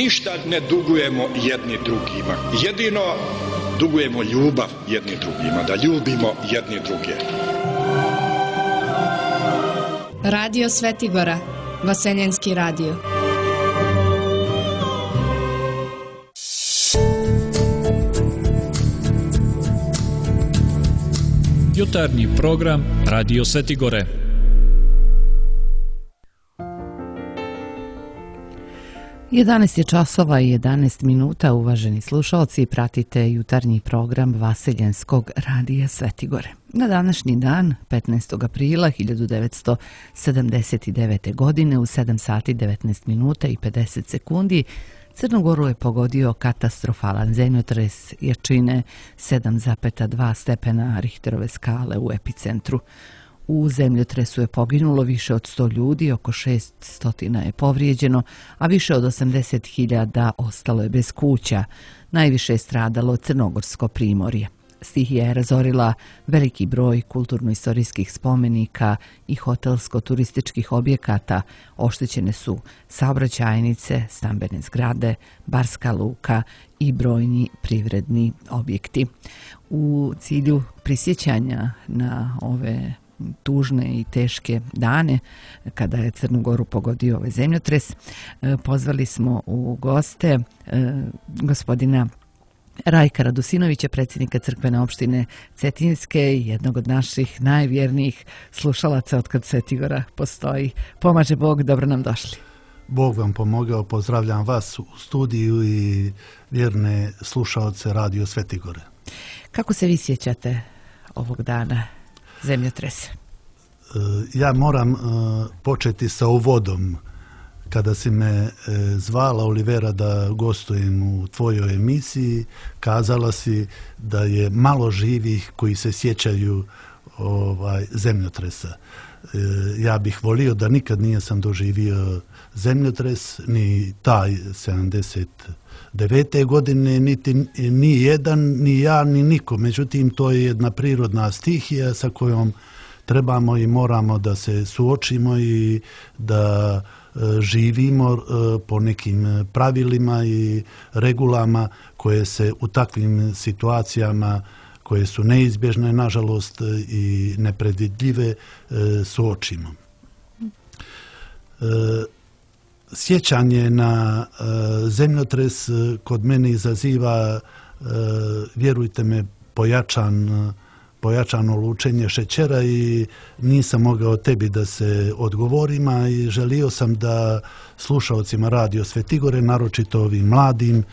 ništa ne dugujemo jedni drugima. Jedino dugujemo ljubav jedni drugima, da ljubimo jedni druge. Radio Svetigora, Vaseljenski radio. Jutarnji program Radio Svetigore. Jedanaest je časova i 11 minuta, uvaženi slušalci, pratite jutarnji program Vaseljenskog radija Svetigore. Na današnji dan, 15. aprila 1979. godine u 7 sati 19 minuta i 50 sekundi Crnu Goru je pogodio katastrofalan zemljotres jačine 7,2 stepena Richterove skale u epicentru. U zemljotresu je poginulo više od 100 ljudi, oko 600 je povrijeđeno, a više od 80.000 ostalo je bez kuća. Najviše je stradalo Crnogorsko primorje. Stihija je razorila veliki broj kulturno-istorijskih spomenika i hotelsko-turističkih objekata. Oštećene su saobraćajnice, stambene zgrade, barska luka i brojni privredni objekti. U cilju prisjećanja na ove tužne i teške dane kada je Crnu Goru pogodio ovaj zemljotres, pozvali smo u goste gospodina Rajka Radusinovića, predsjednika crkvene opštine Cetinjske i jednog od naših najvjernijih slušalaca otkad Svetigora postoji. Pomaže Bog, dobro nam došli. Bog vam pomogao, pozdravljam vas u studiju i vjerne slušalce Radio Svetigore. Kako se vi sjećate ovog dana zemljotresa? Ja moram početi sa uvodom. Kada si me zvala, Olivera, da gostujem u tvojoj emisiji, kazala si da je malo živih koji se sjećaju zemljotresa. Ja bih volio da nikad nisam doživio zemljotres, ni taj 79. godine, ni jedan, ni ja, ni niko. Međutim, to je jedna prirodna stihija sa kojom trebamo i moramo da se suočimo i da živimo po nekim pravilima i regulama koje se u takvim situacijama, koje su neizbježne, nažalost, i nepredvidljive, suočimo. Sjećanje na zemljotres kod mene izaziva, vjerujte me, pojačano lučenje šećera i nisam mogao tebi da se odgovorim, a i želio sam da slušalcima Radio Svetigore, naročito ovim mladim,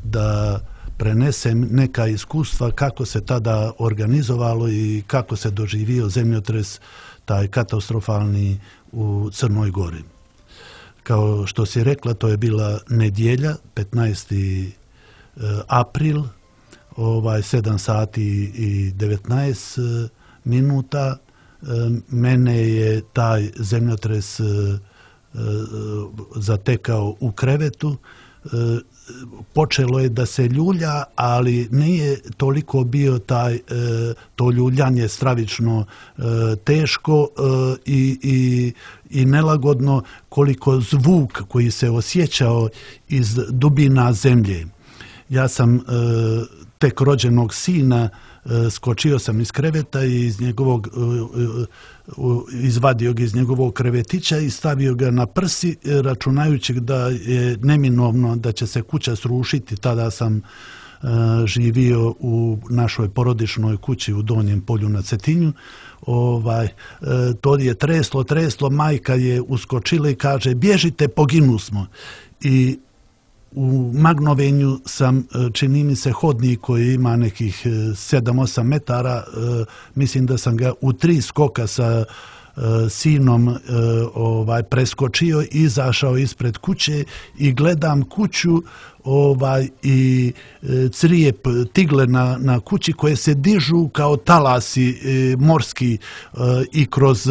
da prenesem neka iskustva kako se tada organizovalo i kako se doživio zemljotres, taj katastrofalni, u Crnoj Gori. Kao što si rekla, to je bila nedjelja, 15. april, 7 sati i 19 minuta. Mene je taj zemljotres zatekao u krevetu. Počelo je da se ljulja, ali nije toliko bio to ljuljanje stravično teško i nelagodno koliko zvuk koji se osjećao iz dubina zemlje. Ja sam tek rođenog sina, skočio sam iz kreveta i izvadio ga iz njegovog krevetića i stavio ga na prsi, računajući da je neminovno da će se kuća srušiti. Tada sam živio u našoj porodičnoj kući u Donjem Polju na Cetinju. To je treslo, majka je uskočila i kaže: bježite, poginu smo. I u magnovenju sam, čini mi se, hodnik koji ima nekih 7-8 metara, mislim da sam ga u 3 skoka sa sinom preskočio, izašao ispred kuće i gledam kuću i crijep tigle na kući koje se dižu kao talasi morski i kroz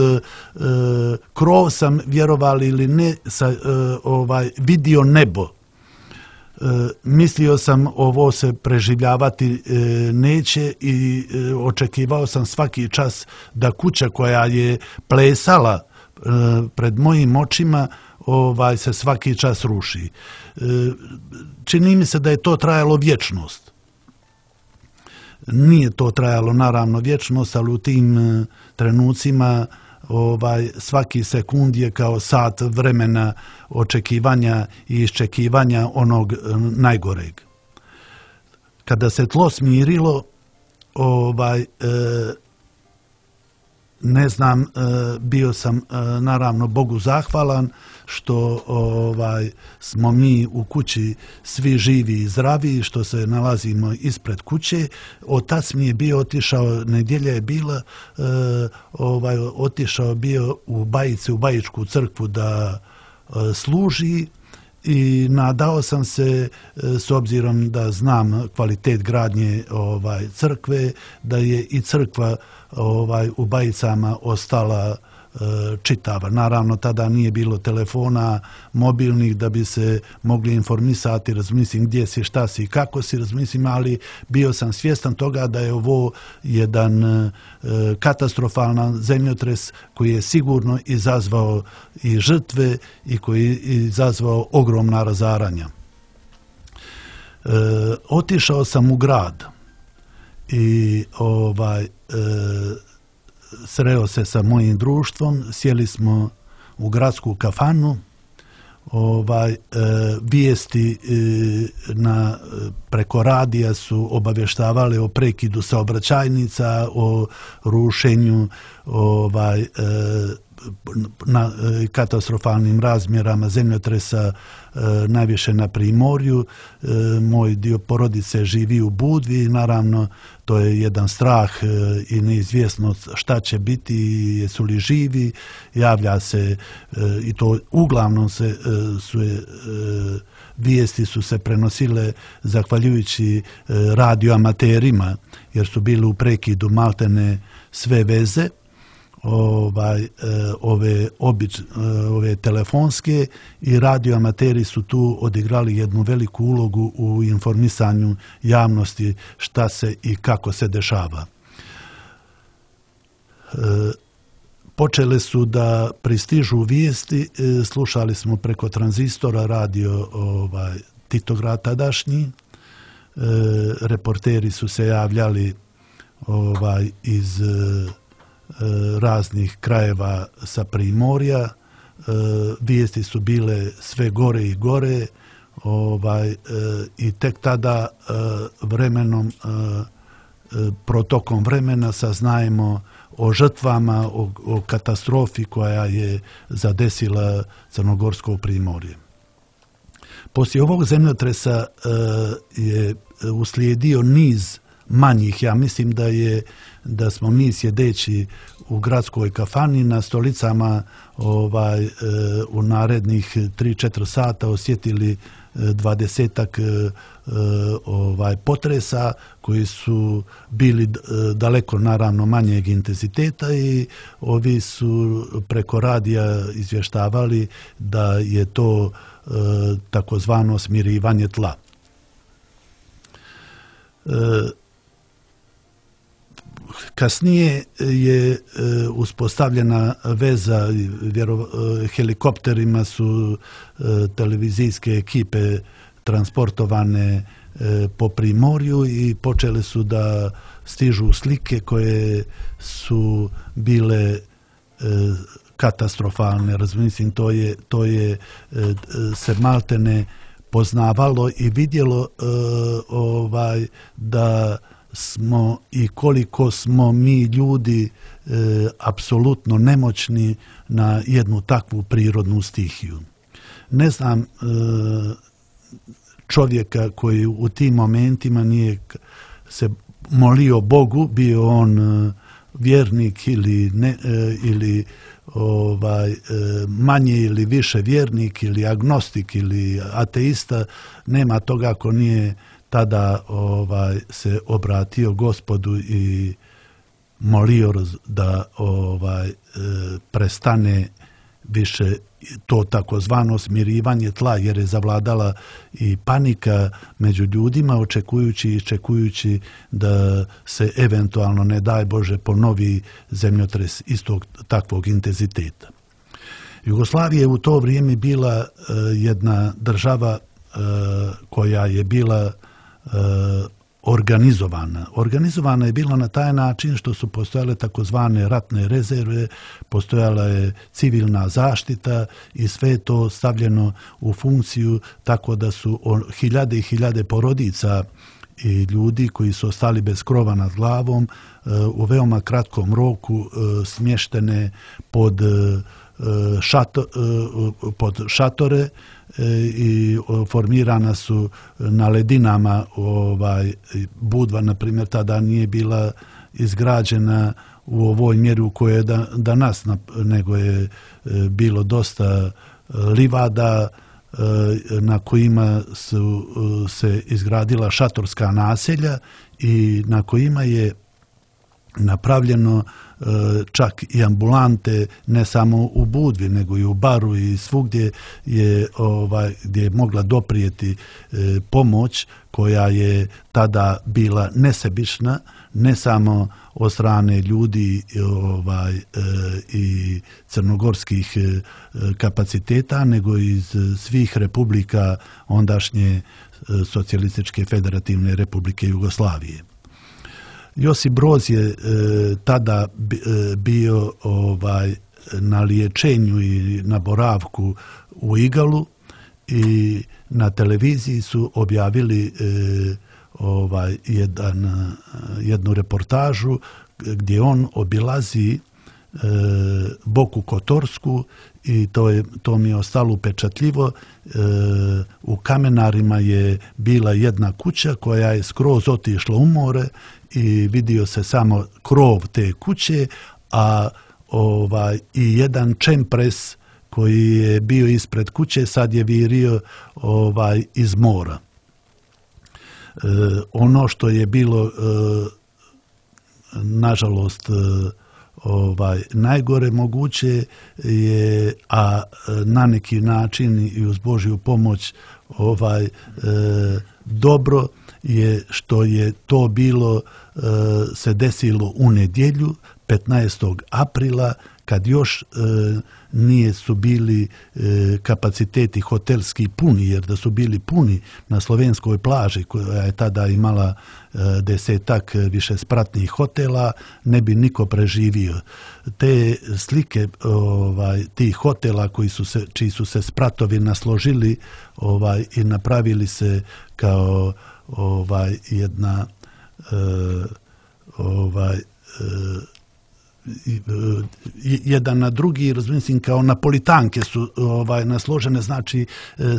krov sam, vjerovali ili ne, vidio nebo. Mislio sam ovo se preživljavati neće i očekivao sam svaki čas da kuća koja je plesala pred mojim očima se svaki čas ruši. Čini mi se da je to trajalo vječnost. Nije to trajalo naravno vječnost, ali u tim trenucima svaki sekund je kao sat vremena očekivanja i iščekivanja onog najgoreg. Kada se tlo smirilo, ne znam, bio sam naravno Bogu zahvalan što smo mi u kući svi živi i zdravi, što se nalazimo ispred kuće. Otac mi je bio otišao, nedjelja je bila, otišao bio u Bajice, u Bajičku crkvu da služi i nadao sam se, s obzirom da znam kvalitet gradnje crkve, da je i crkva u Bajicama ostala čitava. Naravno, tada nije bilo telefona mobilnih da bi se mogli informisati, razmislim gdje si, šta si i kako si, razmislim, ali bio sam svjestan toga da je ovo jedan katastrofalan zemljotres koji je sigurno izazvao i žrtve i koji je izazvao ogromna razaranja. Otišao sam u grad i sreo se sa mojim društvom, sjeli smo u gradsku kafanu, vijesti preko radija su obavještavali o prekidu saobraćajnica, o rušenju na katastrofalnim razmjerama zemljotresa, najviše na Primorju. Moj dio porodice živi u Budvi, naravno to je jedan strah i neizvjesnost šta će biti, jesu li živi, javlja se i to uglavnom vijesti su se prenosile zahvaljujući radioamaterima, jer su bili u prekidu maltene sve veze. Ove telefonske i radioamateri su tu odigrali jednu veliku ulogu u informisanju javnosti šta se i kako se dešava. Počele su da pristižu vijesti, slušali smo preko tranzistora radio Titograd tadašnji, reporteri su se javljali iz raznih krajeva sa Primorja, vijesti su bile sve gore i gore i tek tada vremenom, protokom vremena saznajemo o žrtvama, o katastrofi koja je zadesila Crnogorsko Primorje. Poslije ovog zemljotresa je uslijedio niz manjih. Ja mislim da smo mi sjedeći u gradskoj kafani na stolicama u narednih 3-4 sata osjetili 20-ak potresa koji su bili daleko naravno manjeg intenziteta i ovi su preko radija izvještavali da je to takozvano smirivanje tla. Kasnije je uspostavljena veza, helikopterima su televizijske ekipe transportovane po Primorju i počele su da stižu slike koje su bile katastrofalne. Razumim, to je se maltene poznavalo i vidjelo da smo i koliko smo mi ljudi apsolutno nemoćni na jednu takvu prirodnu stihiju. Ne znam čovjeka koji u tim momentima nije se molio Bogu, bio on vjernik ili manje ili više vjernik ili agnostik ili ateista, nema toga ako nije tada se obratio Gospodu i molio da prestane više to takozvano smirivanje tla, jer je zavladala i panika među ljudima, očekujući i iščekujući da se eventualno, ne daj Bože, ponovi zemljotres istog takvog intenziteta. Jugoslavija je u to vrijeme bila jedna država koja je bila organizovana. Organizovana je bila na taj način što su postojale takozvane ratne rezerve, postojala je civilna zaštita i sve to stavljeno u funkciju tako da su hiljade i hiljade porodica i ljudi koji su ostali bez krova nad glavom u veoma kratkom roku smještene pod šatore i formirana su na ledinama. Budva, na primjer, tada nije bila izgrađena u ovoj mjeri u kojoj je danas, nego je bilo dosta livada na kojima su se izgradila šatorska naselja i na kojima je napravljeno čak i ambulante, ne samo u Budvi, nego i u Baru i svugdje gdje je mogla doprijeti pomoć koja je tada bila nesebična, ne samo od strane ljudi i crnogorskih kapaciteta, nego iz svih republika ondašnje Socijalističke federativne republike Jugoslavije. Josip Broz je tada bio na liječenju i na boravku u Igalu i na televiziji su objavili jednu reportažu gdje on obilazi Boku Kotorsku i to mi je ostalo upečatljivo. U Kamenarima je bila jedna kuća koja je skroz otišla u more i vidio se samo krov te kuće, a i jedan čempres koji je bio ispred kuće sad je virio iz mora. Ono što je bilo nažalost najgore moguće je, a na neki način i uz Božju pomoć dobro je što je to bilo se desilo u nedjelju 15. aprila kad još nije su bili kapaciteti hotelski puni, jer da su bili puni na slovenskoj plaži koja je tada imala 10 višespratnih hotela, ne bi niko preživio. Te slike tih hotela čiji su se spratovi nasložili i napravili se kao jedna jedan na drugi, razumim, kao napolitanke su nasložene, znači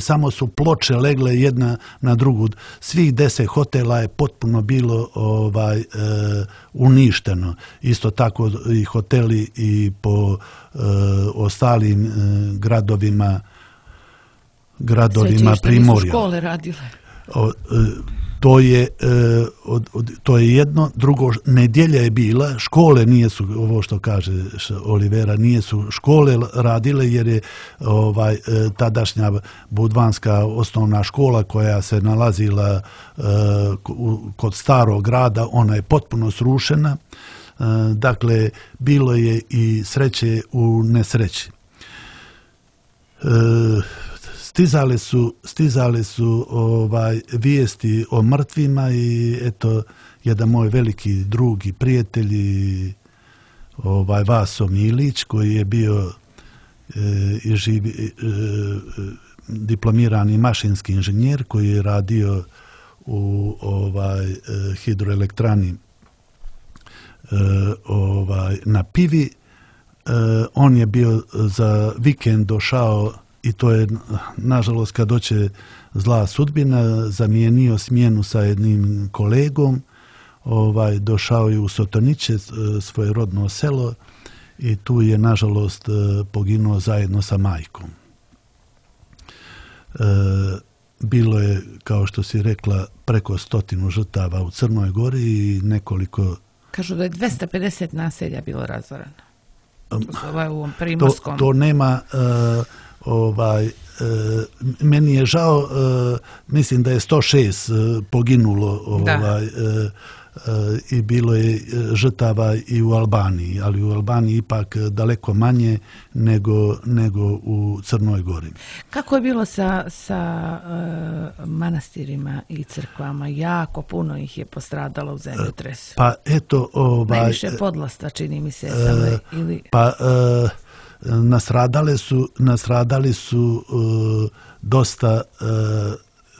samo su ploče legle jedna na drugu. Svih 10 hotela je potpuno bilo uništeno. Isto tako i hoteli i po ostalim gradovima Primorja. Nisu škole radile. To je jedno. Drugo, nedjelja je bila, škole nisu, ovo što kaže Olivera, nisu škole radile jer je tadašnja budvanska osnovna škola koja se nalazila kod starog grada, ona je potpuno srušena. Dakle, bilo je i sreće u nesreći. Stizale su vijesti o mrtvima i eto, jedan moj veliki drug i prijatelj Vaso Milić, koji je bio diplomirani mašinski inženjer, koji je radio u hidroelektrani na Pivi. On je bio za vikend došao, i to je, nažalost, kad doće zla sudbina, zamijenio smjenu sa jednim kolegom, došao je u Sotoniće, svoje rodno selo, i tu je, nažalost, poginuo zajedno sa majkom. Bilo je, kao što si rekla, preko 100 žrtava u Crnoj Gori i nekoliko... Kažu da je 250 naselja bilo razorano. To u ovom primorskom... To nema... meni je žao, mislim da je 106 poginulo i bilo je žrtava i u Albaniji, ali u Albaniji ipak daleko manje nego u Crnoj Gori. Kako je bilo sa manastirima i crkvama? Jako puno ih je postradalo u zemljotresu. Pa eto... Najviše Podlasta, čini mi se. Ili... Pa nastradali su dosta,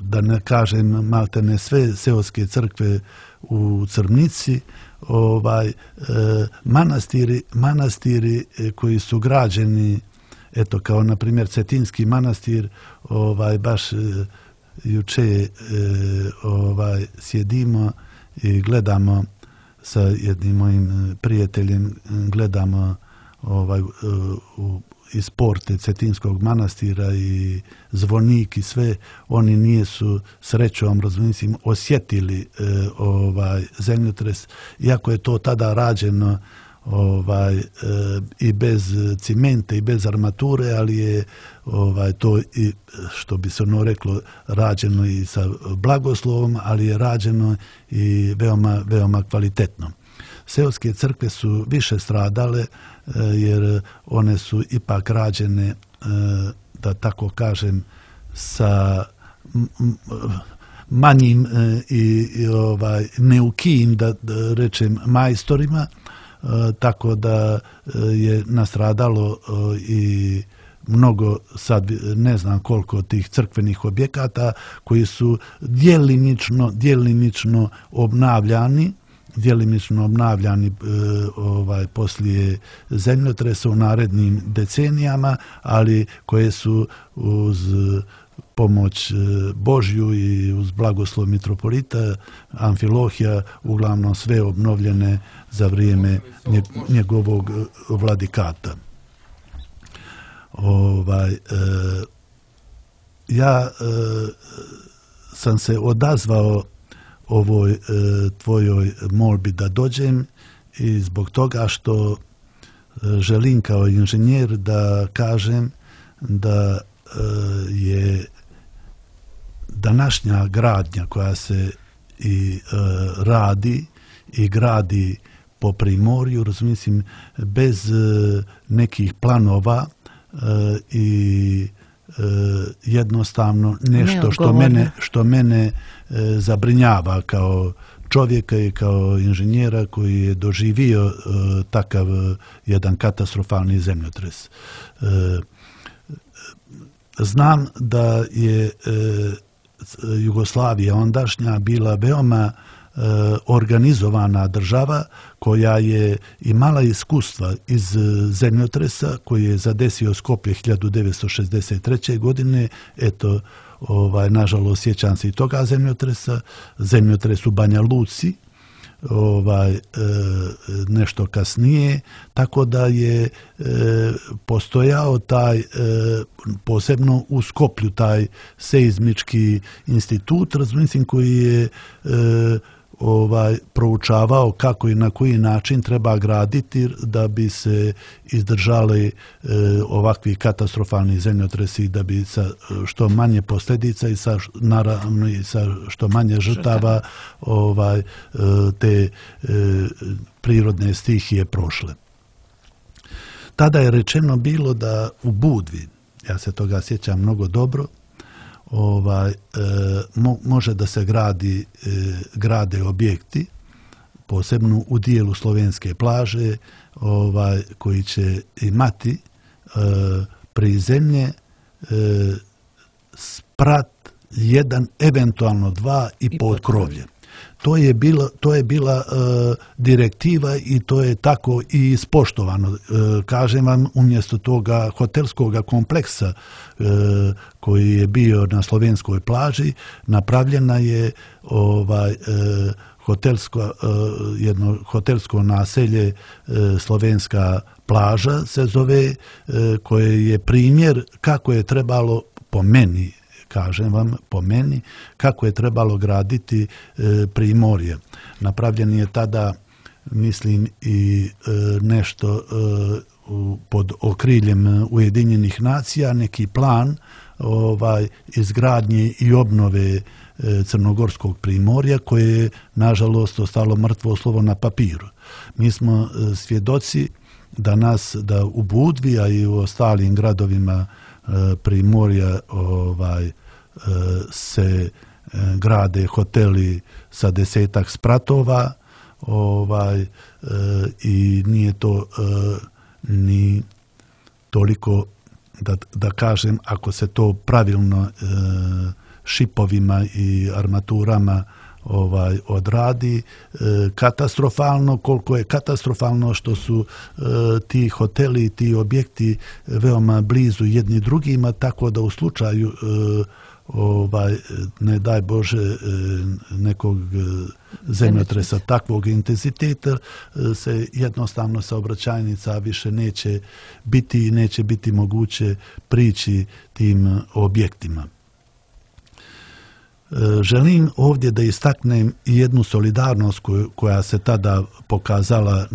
da ne kažem maltene sve seoske crkve u Crnici, manastiri koji su građeni, eto kao na primjer Cetinski manastir, baš juče sjedimo i gledamo sa jednim mojim prijateljem, gledamo iz porte Cetinskog manastira i zvonik i sve, oni nisu srećom, razumijem, osjetili zemljotres, iako je to tada rađeno i bez cimenta i bez armature, ali je to, i, što bi se ono reklo, rađeno i sa blagoslovom, ali je rađeno i veoma kvalitetno. Seoske crkve su više stradale jer one su ipak rađene, da tako kažem, sa manjim i neukijim, da rečem, majstorima, tako da je nastradalo i mnogo, sad ne znam koliko tih crkvenih objekata koji su djelimično obnavljani poslije zemljotresa u narednim decenijama, ali koje su uz pomoć Božju i uz blagoslov mitropolita Amfilohija uglavnom sve obnovljene za vrijeme njegovog vladikata. Ja sam se odazvao ovoj tvojoj molbi da dođem i zbog toga što želim kao inženjer da kažem da je današnja gradnja koja se i radi i gradi po Primorju, razumijem, bez nekih planova i jednostavno nešto što mene zabrinjava kao čovjeka i kao inženjera koji je doživio takav jedan katastrofalni zemljotres. Znam da je Jugoslavija ondašnja bila veoma organizovana država koja je imala iskustva iz zemljotresa koji je zadesio Skoplje 1963. godine. Eto, nažalost, sjećam se i toga zemljotresa, zemljotres u Banja Luci, nešto kasnije, tako da je postojao taj, posebno u Skoplju, taj seizmički institut, razumijem, koji je proučavao kako i na koji način treba graditi da bi se izdržali ovakvi katastrofalni zemljotresi, da bi sa što manje posljedica i naravno i sa što manje žrtava te prirodne stihije prošle. Tada je rečeno bilo da u Budvi, ja se toga sjećam mnogo dobro, može da se grade objekti, posebno u dijelu slovenske plaže, koji će imati prizemlje, sprat, jedan, eventualno dva i potkrovlje. To je bila direktiva i to je tako i ispoštovano. Kažem vam, umjesto toga hotelskog kompleksa koji je bio na slovenskoj plaži, napravljena je jedno hotelsko naselje, slovenska plaža se zove, koje je primjer kako je trebalo, po meni, kažem vam, po meni, kako je trebalo graditi Primorje. Napravljen je tada, mislim, i nešto pod okriljem Ujedinjenih nacija, neki plan izgradnje i obnove crnogorskog primorja koje je nažalost ostalo mrtvo slovo na papiru. Mi smo svjedoci da u Budvi, a i u ostalim gradovima primorja se grade hoteli sa 10 spratova i nije to ni toliko da kažem, ako se to pravilno šipovima i armaturama odradi, katastrofalno, koliko je katastrofalno što su ti hoteli i ti objekti veoma blizu jedni drugima, tako da u slučaju ne daj Bože nekog zemljotresa takvog intenziteta se jednostavno saobraćajnica više neće biti i neće biti moguće prići tim objektima. Želim ovdje da istaknem jednu solidarnost koja se tada pokazala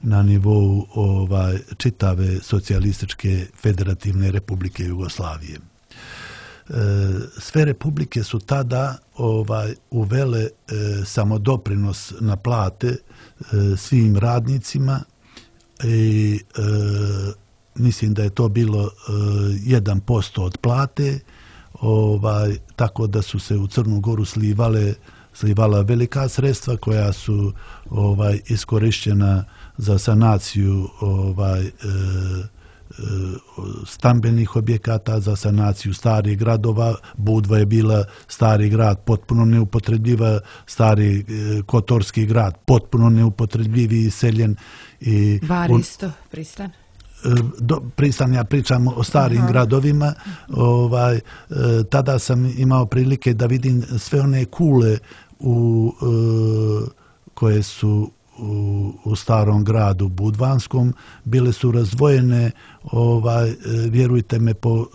na nivou čitave socijalističke federativne Republike Jugoslavije. Sve republike su tada uvele samodoprinos na plate svim radnicima i mislim da je to bilo 1% od plate, tako da su se u Crnu Goru slivala velika sredstva koja su iskorištena za sanaciju stambenih objekata, za sanaciju starih gradova. Budva je bila stari grad, potpuno neupotrebljiva, stari Kotorski grad, potpuno neupotrebljiv i iseljen. Bar isto, Pristan? Pristan, ja pričam o starim gradovima. Tada sam imao prilike da vidim sve one kule koje su u starom gradu Budvanskom, bile su razdvojene, vjerujte me, po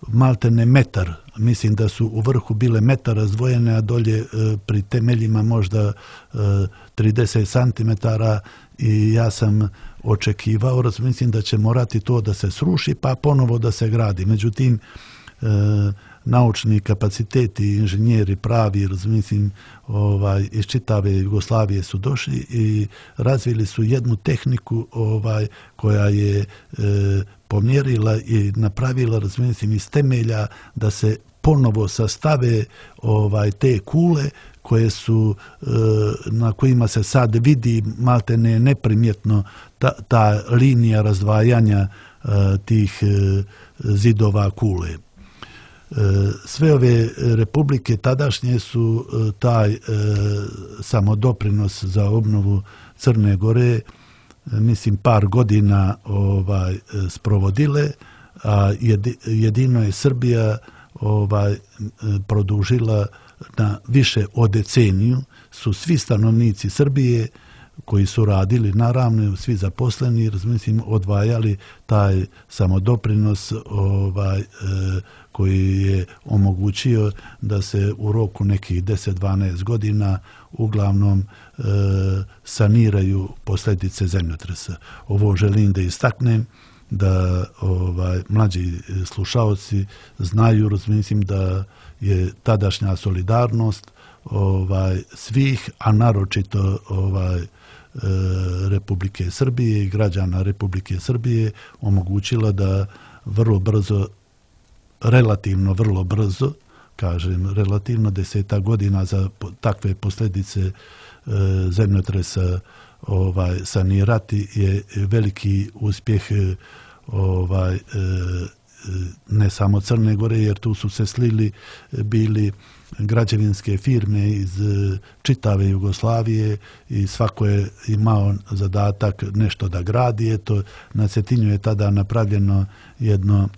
maltene metar. Mislim da su u vrhu bile metar razdvojene, a dolje pri temeljima možda 30 cm i ja sam očekivao, mislim da će morati to da se sruši pa ponovo da se gradi. Međutim, naučni kapaciteti, inženjeri pravi, mislim, iz čitave Jugoslavije su došli i razvili su jednu tehniku koja je pomjerila i napravila, mislim, iz temelja da se ponovo sastave te kule koje su, na kojima se sad vidi maltene neprimjetno ta linija razdvajanja tih zidova kule. Sve ove republike tadašnje su taj samodoprinos za obnovu Crne Gore, mislim, par godina sprovodile, a jedino je Srbija produžila na više od deceniju. Su svi stanovnici Srbije koji su radili, naravno svi zaposleni, mislim, odvajali taj samodoprinos koji je omogućio da se u roku nekih 10-12 godina uglavnom saniraju posljedice zemljotresa. Ovo želim da istaknem, da mlađi slušaoci znaju, mislim, da je tadašnja solidarnost svih, a naročito Republike Srbije i građana Republike Srbije omogućila da vrlo brzo, relativno vrlo brzo, kažem relativno, 10 godina za takve posljedice zemljotresa sanirati je veliki uspjeh ne samo Crne Gore, jer tu su se slili bili građevinske firme iz čitave Jugoslavije i svako je imao zadatak nešto da gradi. Eto, na Cetinju je tada napravljeno jedno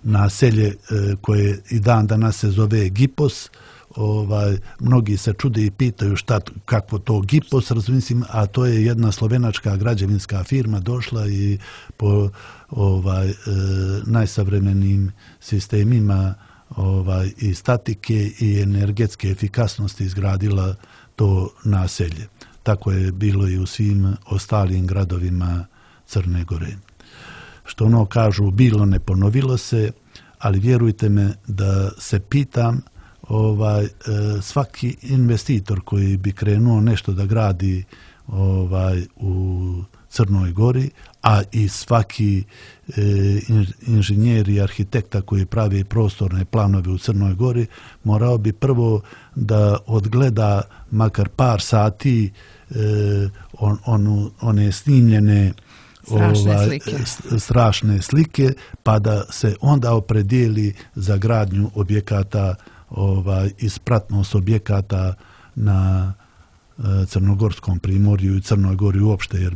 naselje koje i dan danas se zove Gipos. Mnogi se čude i pitaju kako to Gipos, razmislim, a to je jedna slovenačka građevinska firma došla i po najsavremenijim sistemima i statike i energetske efikasnosti izgradila to naselje. Tako je bilo i u svim ostalim gradovima Crne Gore. Što kažu, bilo ne ponovilo se, ali vjerujte me da se pitam, svaki investitor koji bi krenuo nešto da gradi u Crnoj Gori, a i svaki inženjer i arhitekta koji pravi prostorne planove u Crnoj Gori morao bi prvo da odgleda makar par sati one snimljene strašne slike, pa da se onda opredijeli za gradnju objekata i spratnost objekata na Crnogorskom primorju i Crnoj Gori uopšte, jer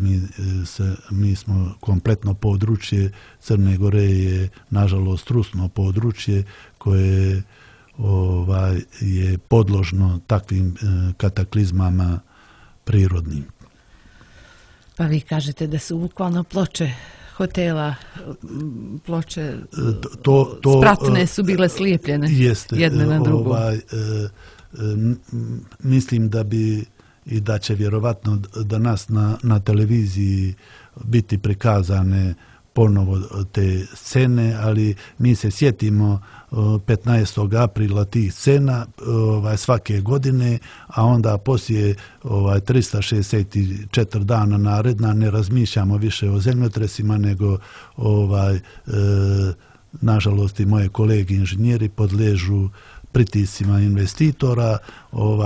mi smo kompletno područje Crne Gore je nažalost trusno područje koje je podložno takvim kataklizmama prirodnim. Pa vi kažete da su bukvalno ploče hotela, ploče spratne su bile slijepljene jedne na drugu. Mislim da bi i da će vjerovatno danas na televiziji biti prikazane ponovo te scene, ali mi se sjetimo 15. aprila tih scena svake godine, a onda poslije 364 dana naredna ne razmišljamo više o zemljotresima, nego nažalost i moje kolege inženjeri podležu pritiscima investitora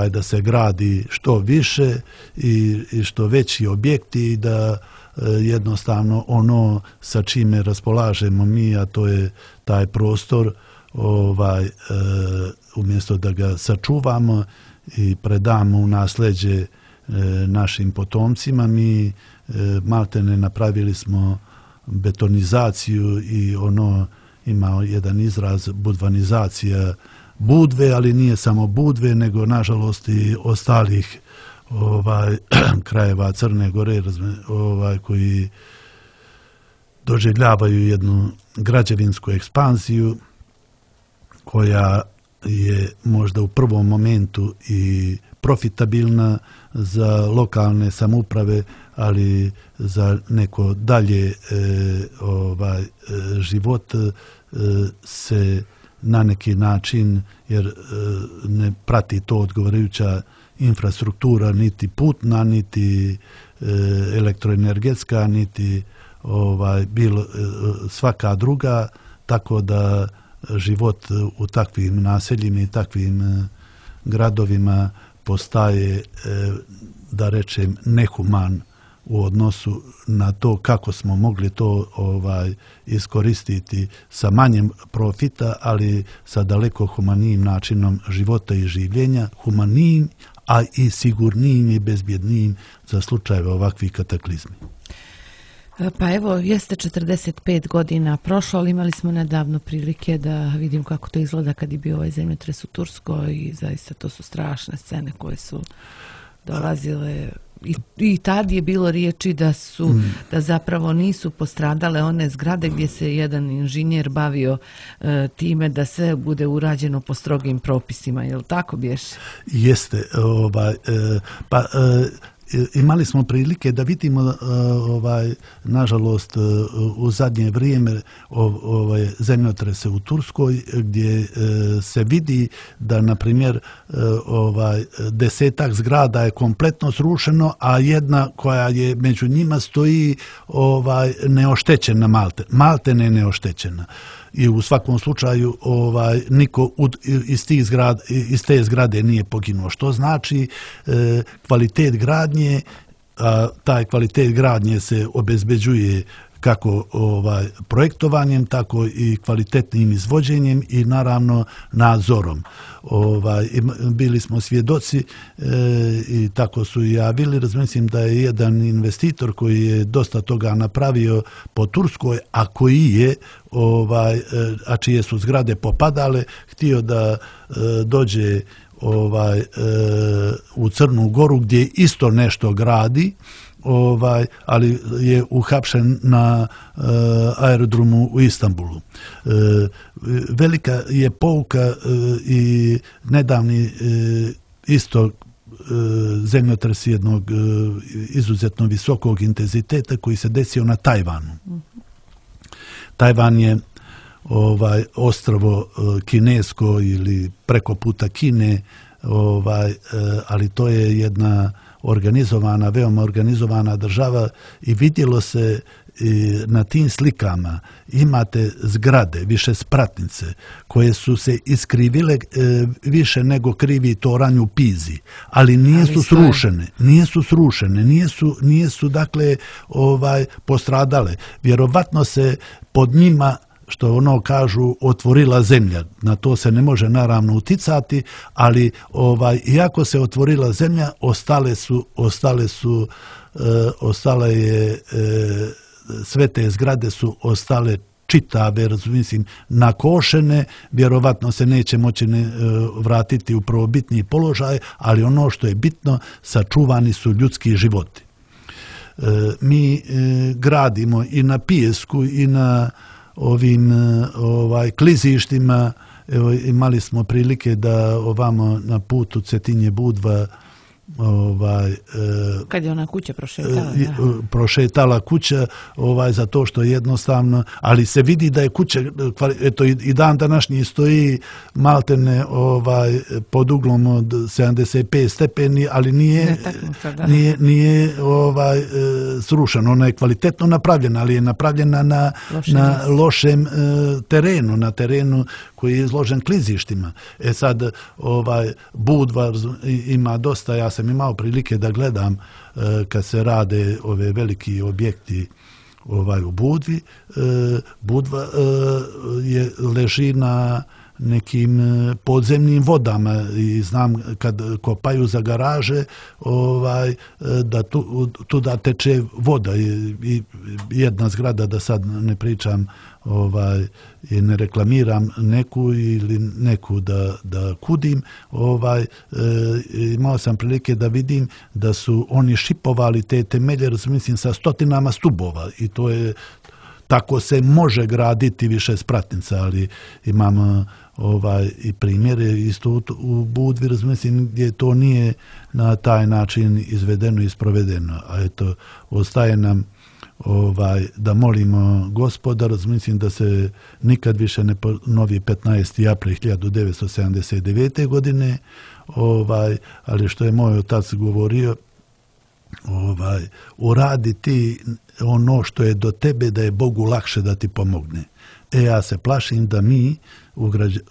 da se gradi što više i što veći objekti i da jednostavno ono sa čime raspolažemo mi, a to je taj prostor, umjesto da ga sačuvamo i predamo u nasljeđe našim potomcima, mi maltene napravili smo betonizaciju i ono ima jedan izraz budvanizacija Budve, ali nije samo Budve, nego nažalost i ostalih krajeva Crne Gore koji doživljavaju jednu građevinsku ekspanziju koja je možda u prvom momentu i profitabilna za lokalne samouprave, ali za neko dalje život se na neki način, jer ne prati to odgovarajuća infrastruktura, niti putna, niti elektroenergetska, niti svaka druga, tako da život u takvim naseljima i takvim gradovima postaje, da rečem, nehuman u odnosu na to kako smo mogli to iskoristiti sa manjem profita, ali sa daleko humanijim načinom života i življenja, humanijim, a i sigurnijim i bezbjednijim za slučajeve ovakvih kataklizmi. Pa evo, jeste 45 godina prošlo, ali imali smo nedavno prilike da vidim kako to izgleda kad je bio ovaj zemljotres u Turskoj i zaista to su strašne scene koje su dolazile. I tad je bilo riječi da zapravo nisu postradale one zgrade gdje se jedan inženjer bavio time da sve bude urađeno po strogim propisima, je li tako bješe? Jeste, imali smo prilike da vidimo nažalost u zadnje vrijeme zemljotrese u Turskoj, gdje se vidi da na primjer 10 zgrada je kompletno srušeno, a jedna koja je među njima stoji neoštećena, maltene neoštećena. I u svakom slučaju niko iz te zgrade nije poginuo. Što znači kvalitet gradnje, taj kvalitet gradnje se obezbeđuje kako projektovanjem, tako i kvalitetnim izvođenjem i naravno nadzorom. Bili smo svjedoci i tako su i javili. Razmislim da je jedan investitor koji je dosta toga napravio po Turskoj, a koji je, a čije su zgrade popadale, htio da dođe u Crnu Goru gdje isto nešto gradi, ali je uhapšen na aerodromu u Istanbulu. Velika je pouka i nedavni isto zemljotres jednog izuzetno visokog intenziteta koji se desio na Tajvanu. Tajvan je ostrvo kinesko ili preko puta Kine, ali to je jedna organizovana, veoma organizovana država i vidjelo se na tim slikama imate zgrade, više spratnice koje su se iskrivile više nego krivi toranj u Pizi, ali nisu srušene, nisu dakle postradale. Vjerovatno se pod njima, što ono kažu, otvorila zemlja. Na to se ne može naravno uticati, ali iako se otvorila zemlja, sve te zgrade su ostale čitave, mislim, nakošene, vjerovatno se neće moći vratiti u prvobitni položaj, ali ono što je bitno, sačuvani su ljudski životi. Mi gradimo i na pijesku i na ovim klizištima. Evo, imali smo prilike da ovamo na putu Cetinje-Budva kad je ona kuća prošetala kuća, za to što jednostavno, ali se vidi da je kuća, eto, i dan današnji stoji maltene pod uglom od 75 stepeni, ali nije srušena. Ona je kvalitetno napravljena, ali je napravljena na lošem terenu, na terenu koji je izložen klizištima. Sad Budva ima dosta, ja sam imao prilike da gledam kad se rade ove veliki objekti u Budvi. Budva leži na nekim podzemnim vodama i znam kad kopaju za garaže da tuda teče voda i jedna zgrada, da sad ne pričam i ne reklamiram neku ili neku da kudim, imao sam prilike da vidim da su oni šipovali te temelje, mislim, sa stotinama stubova i to je, tako se može graditi više spratnica, ali imam i primjere isto u Budvi, mislim, gdje to nije na taj način izvedeno i sprovedeno. A eto, ostaje nam da molimo Gospoda, mislim da se nikad više ne ponovi 15. april 1979. godine, ali što je moj otac govorio, uradi ti ono što je do tebe, da je Bogu lakše da ti pomogne. Ja se plašim da mi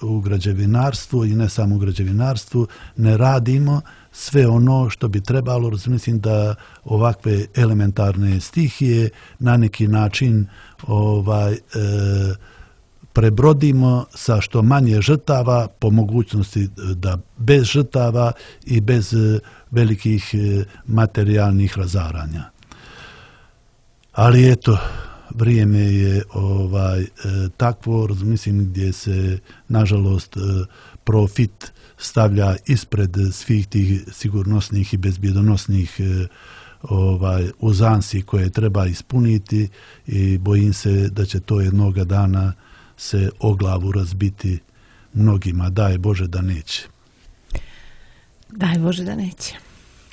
u građevinarstvu i ne samo u građevinarstvu ne radimo sve ono što bi trebalo. Mislim da ovakve elementarne stihije na neki način prebrodimo sa što manje žrtava, po mogućnosti da bez žrtava i bez velikih materijalnih razaranja. Ali eto, vrijeme je takvo, mislim, gdje se nažalost profit stavlja ispred svih tih sigurnosnih i bezbjedonosnih uzansi koje treba ispuniti i bojim se da će to jednoga dana se o glavu razbiti mnogima. Daj Bože da neće. Daj Bože da neće.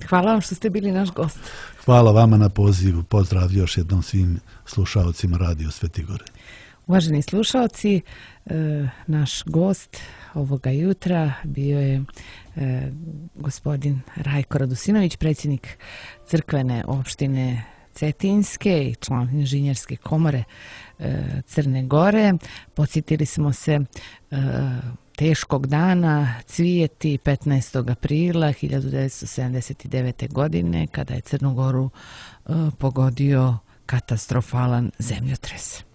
Hvala vam što ste bili naš gost. Hvala vama na pozivu. Pozdrav još jednom svim slušaocima Radio Svetigore. Uvaženi slušaoci, naš gost ovoga jutra bio je gospodin Rajko Radusinović, predsjednik crkvene opštine Cetinske i član inženjerske komore Crne Gore. Podsjetili smo se teškog dana, Cvijeti, 15. aprila 1979. godine, kada je Crnu Goru pogodio katastrofalan zemljotres.